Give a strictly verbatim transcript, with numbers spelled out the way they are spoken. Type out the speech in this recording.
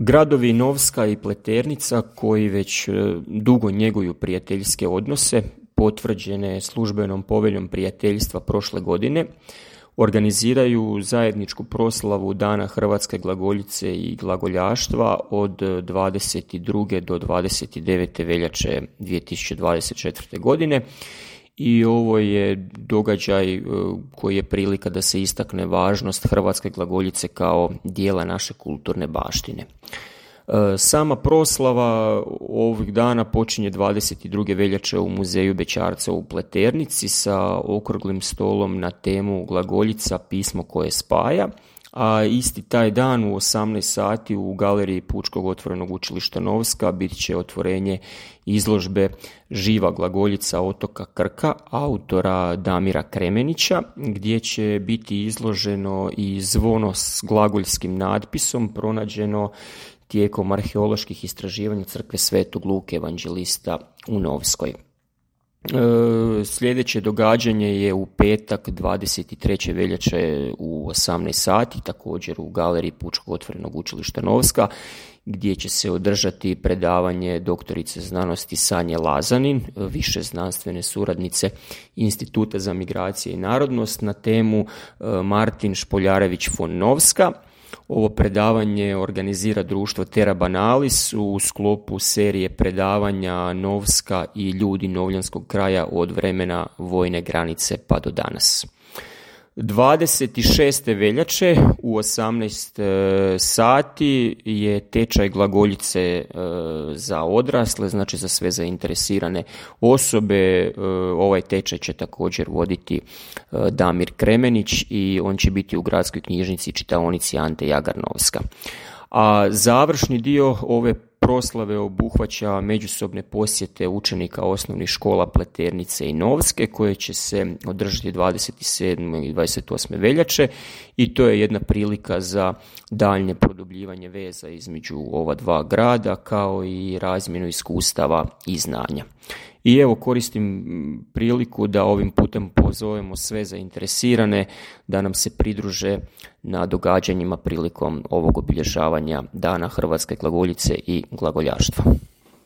Gradovi Novska i Pleternica, koji već dugo njeguju prijateljske odnose, potvrđene službenom poveljom prijateljstva prošle godine, organiziraju zajedničku proslavu Dana hrvatske glagoljice i glagoljaštva od dvadeset druge do dvadeset devete veljače dvije tisuće dvadeset četvrte. godine. I ovo je događaj koji je prilika da se istakne važnost hrvatske glagoljice kao dijela naše kulturne baštine. Sama proslava ovih dana počinje dvadeset druge veljače u muzeju Bećarca u Pleternici sa okruglim stolom na temu Glagoljica, pismo koje spaja, a isti taj dan u osamnaest sati u galeriji Pučkog otvorenog učilišta Novska bit će otvorenje izložbe Živa glagoljica otoka Krka autora Damira Kremenića, gdje će biti izloženo i zvono s glagoljskim natpisom pronađeno tijekom arheoloških istraživanja crkve Svetog Luke Evanđelista u Novskoj. E, sljedeće događanje je u petak dvadeset treće veljače u osamnaest sati, također u galeriji Pučkog otvorenog učilišta Novska, gdje će se održati predavanje doktorice znanosti Sanje Lazanin, više znanstvene suradnice Instituta za migracije i narodnost, na temu Martin Špoljarević von Novska. Ovo predavanje organizira društvo Terra Banalis u sklopu serije predavanja Novska i ljudi novljanskog kraja od vremena vojne granice pa do danas. dvadeset šeste veljače u osamnaest sati je tečaj glagoljice za odrasle, znači za sve zainteresirane osobe. Ovaj tečaj će također voditi Damir Kremenić i on će biti u gradskoj knjižnici i čitaonici Ante Jagar Novska. A završni dio ove proslave obuhvaća međusobne posjete učenika osnovnih škola Pleternice i Novske, koje će se održati dvadeset sedme i dvadeset osme veljače, i to je jedna prilika za daljnje produbljivanje veza između ova dva grada, kao i razmjenu iskustava i znanja. I evo, koristim priliku da ovim putem pozovemo sve zainteresirane da nam se pridruže na događanjima prilikom ovog obilježavanja Dana hrvatske glagoljice i glagoljaštva.